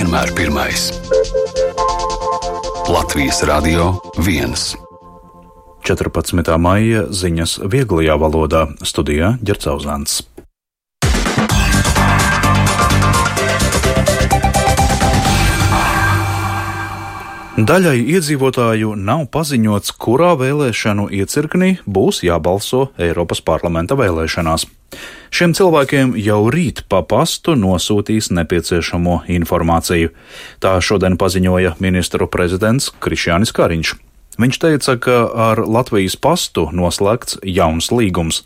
vienmēr pirmais. Latvijas Radio 1. 14. maija ziņas vieglajā valodā. Studijā Ģerts Auzāns. Daļai iedzīvotāju nav paziņots, kurā vēlēšanu iecirknī būs jābalso Eiropas parlamenta vēlēšanās. Šiem cilvēkiem jau rīt pa pastu nosūtīs nepieciešamo informāciju. Tā šodien paziņoja ministru prezidents Krišjānis Kariņš. Viņš teica, ka ar Latvijas pastu noslēgts jauns līgums.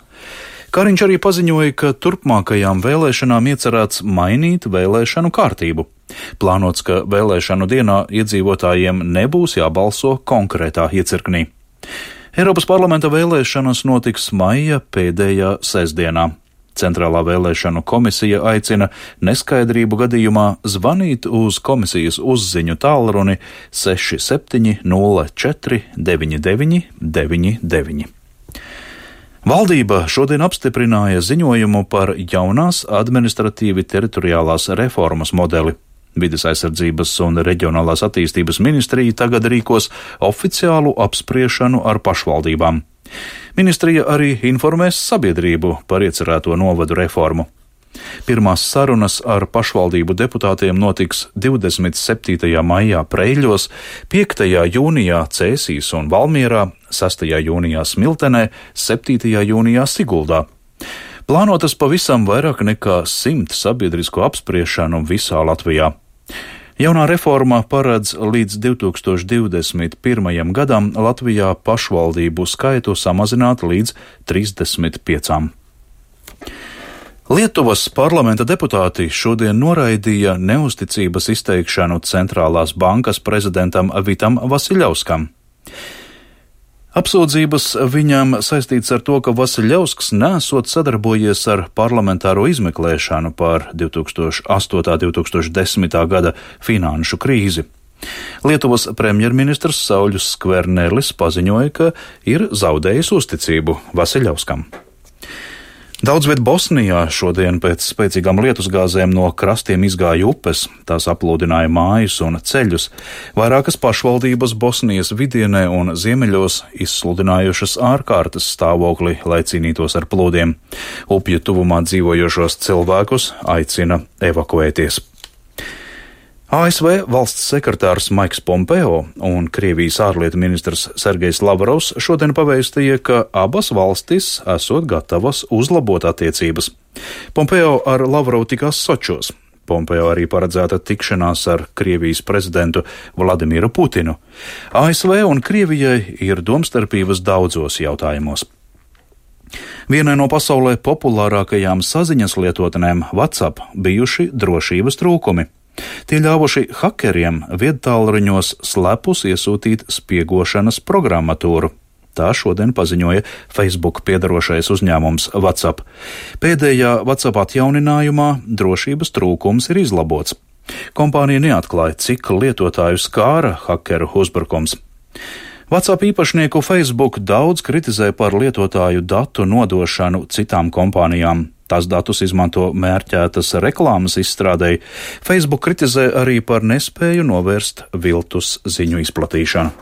Kariņš arī paziņoja, ka turpmākajām vēlēšanām iecerēts mainīt vēlēšanu kārtību. Plānots, ka vēlēšanu dienā iedzīvotājiem nebūs jābalso konkrētā iecirknī. Eiropas parlamenta vēlēšanas notiks maija pēdējā sestdienā. Centrālā vēlēšanu komisija aicina neskaidrību gadījumā zvanīt uz komisijas uzziņu tālruni 67 04 99 99. Valdība šodien apstiprināja ziņojumu par jaunās administratīvi teritoriālās reformas modeli. Vides aizsardzības un reģionālās attīstības ministrija tagad rīkos oficiālu apspriešanu ar pašvaldībām. Ministrija arī informēs sabiedrību par iecerēto novadu reformu. Pirmās sarunas ar pašvaldību deputātiem notiks 27. maijā Preiļos, 5. jūnijā Cēsīs un Valmierā, 6. jūnijā Smiltenē, 7. jūnijā Siguldā. Plānotas pavisam vairāk nekā 100 sabiedrisko apspriešanu visā Latvijā. Jaunā reforma paredz līdz 2021. gadam Latvijā pašvaldību skaitu samazināt līdz 35. Lietuvas parlamenta deputāti šodien noraidīja neusticības izteikšanu Centrālās bankas prezidentam Vitam Vasiļauskam. Apsūdzības viņam saistīts ar to, ka Vasiļausks nesot sadarbojies ar parlamentāro izmeklēšanu par 2008.–2010. gada finanšu krīzi. Lietuvas premjerministrs Sauļus Skvernelis paziņoja, ka ir zaudējis uzticību Vasiļauskam. Daudz viet Bosnijā šodien pēc spēcīgām lietusgāzēm no krastiem izgāja upes, tās aplūdināja mājas un ceļus. Vairākas pašvaldības Bosnijas vidienē un ziemeļos izsludinājušas ārkārtas stāvokli, lai cīnītos ar plūdiem. Upju tuvumā dzīvojošos cilvēkus aicina evakuēties. ASV valsts sekretārs Maiks Pompeo un Krievijas ārlietu ministrs Sergejs Lavrovs šodien pavēstīja, ka abas valstis esot gatavas uzlabot attiecības. Pompeo ar Lavrovu tikās Sočos. Pompeo arī paredzēta tikšanās ar Krievijas prezidentu Vladimiru Putinu. ASV un Krievijai ir domstarpības daudzos jautājumos. Vienai no pasaulē populārākajām saziņas lietotnēm WhatsApp bijuši drošības trūkumi. Tie ļāvuši hakeriem viedtālruņos slepus iesūtīt spiegošanas programmatūru. Tā šodien paziņoja Facebook piedarošais uzņēmums WhatsApp. Pēdējā WhatsApp atjauninājumā drošības trūkums ir izlabots. Kompānija neatklāja, cik lietotāju skāra hakeru uzbrukums. WhatsApp īpašnieku Facebook daudz kritizē par lietotāju datu nodošanu citām kompānijām. Tās datus izmanto mērķētas reklāmas izstrādēji. Facebook kritizē arī par nespēju novērst viltus ziņu izplatīšanu.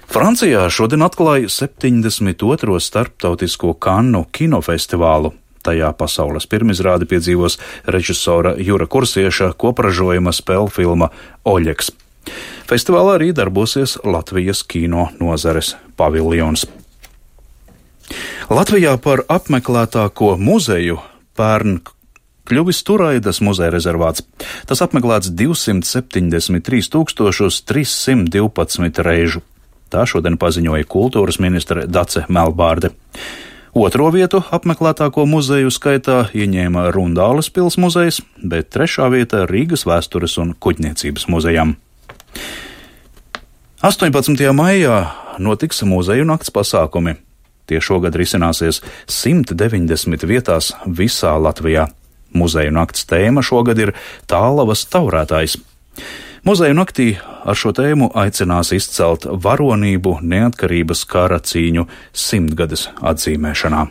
Francijā šodien atklāja 72. starptautisko Kannu kinofestivālu. Tajā pasaules pirmizrādi piedzīvos režisora Jura Kursieša kopražojuma spēļu filma Oļeks. Festivālā arī darbosies Latvijas kino nozares paviljons. Latvijā par apmeklētāko muzeju pērn kļuvis Turaidas muzeja rezervāts. Tas apmeklēts 273 312 reižu. Tā šodien paziņoja kultūras ministre Dace Melbārde. Otro vietu apmeklētāko muzeju skaitā ieņēma Rundāles pils muzejs, bet trešā vieta Rīgas vēstures un kuģniecības muzejam. 18. maijā notiks muzeju nakts pasākumi. Tie šogad risināsies 190 vietās visā Latvijā. Muzeju nakts tēma šogad ir Tālavas taurētājs. Muzeju naktī ar šo tēmu aicinās izcelt varonību neatkarības kara cīņu 100-gades atzīmēšanā.